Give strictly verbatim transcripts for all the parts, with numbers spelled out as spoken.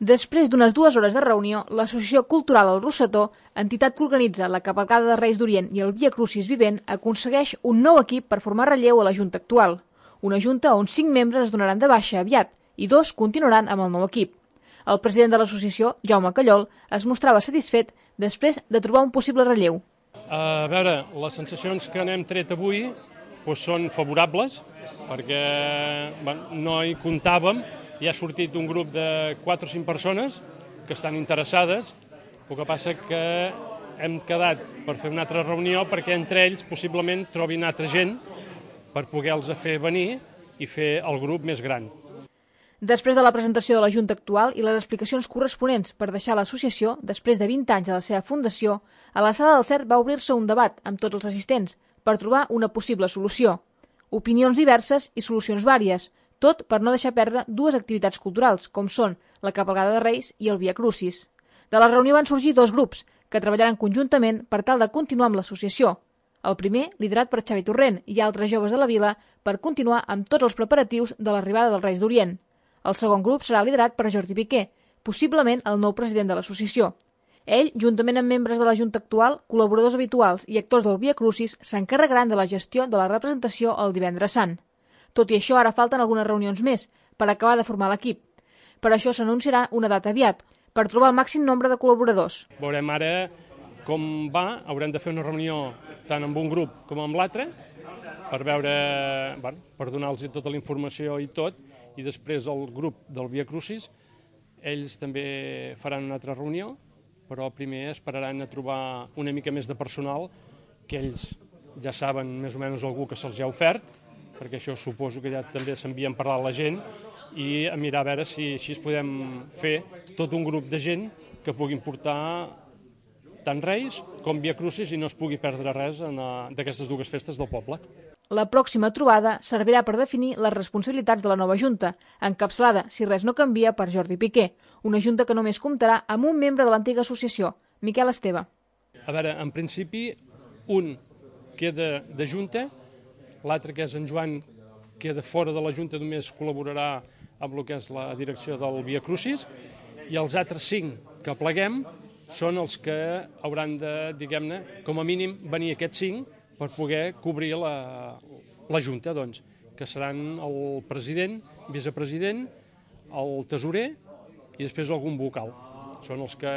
Després d'unes dues hores de reunió, l'Associació Cultural El Rossetó, entitat que organitza la cavalcada de Reis d'Orient i el Via Crucis Vivent, aconsegueix un nou equip per formar relleu a la Junta actual. Una Junta on cinc membres es donaran de baixa aviat i dos continuaran amb el nou equip. El president de l'associació, Jaume Callol, es mostrava satisfet després de trobar un possible relleu. A veure, les sensacions que n'hem tret avui doncs són favorables, perquè bueno, no hi comptàvem. Hi ha sortit un grup de quatre o cinc persones que estan interessades, el que passa que hem quedat per fer una altra reunió perquè entre ells possiblement trobin altra gent per poder-los fer venir i fer el grup més gran. Després de la presentació de la Junta actual i les explicacions corresponents per deixar l'associació, després de vint anys de la seva fundació, a la Sala del Cert va obrir-se un debat amb tots els assistents per trobar una possible solució. Opinions diverses i solucions vàries, tot per no deixar perdre dues activitats culturals, com són la Cavalcada de Reis i el Via Crucis. De la reunió van sorgir dos grups, que treballaran conjuntament per tal de continuar amb l'associació. El primer, liderat per Xavi Torrent i altres joves de la vila, per continuar amb tots els preparatius de l'arribada dels Reis d'Orient. El segon grup serà liderat per Jordi Piqué, possiblement el nou president de l'associació. Ell, juntament amb membres de la Junta actual, col·laboradors habituals i actors del Via Crucis, s'encarregaran de la gestió de la representació el divendres sant. Tot i això, ara falten algunes reunions més per acabar de formar l'equip. Per això s'anunciarà una data aviat, per trobar el màxim nombre de col·laboradors. Veurem ara com va, haurem de fer una reunió tant amb un grup com amb l'altre, per veure, bueno, per donar-los tota la informació i tot, i després el grup del Via Crucis, ells també faran una altra reunió, però primer esperaran a trobar una mica més de personal, que ells ja saben més o menys algú que se'ls ha ofert, perquè això suposo que ja també s'envien parlar a la gent, i a mirar a veure si així podem fer tot un grup de gent que puguin portar tant Reis com Via Crucis i no es pugui perdre res d'aquestes dues festes del poble. La pròxima trobada servirà per definir les responsabilitats de la nova Junta, encapçalada, si res no canvia, per Jordi Piqué, una Junta que només comptarà amb un membre de l'antiga associació, Miquel Esteve. A veure, en principi, un queda de Junta, l'altre, que és en Joan, queda fora de la Junta, només col·laborarà amb el que és la direcció del Via Crucis, i els altres cinc que pleguem són els que hauran de, diguem-ne, com a mínim, venir aquests cinc per poder cobrir la, la Junta, doncs, que seran el president, vicepresident, el tesorer i després algun vocal. Són els que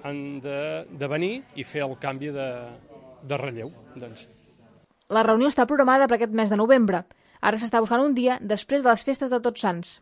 han de, de venir i fer el canvi de, de relleu, doncs. La reunió està programada per aquest mes de novembre. Ara s'està buscant un dia després de les festes de Tots Sants.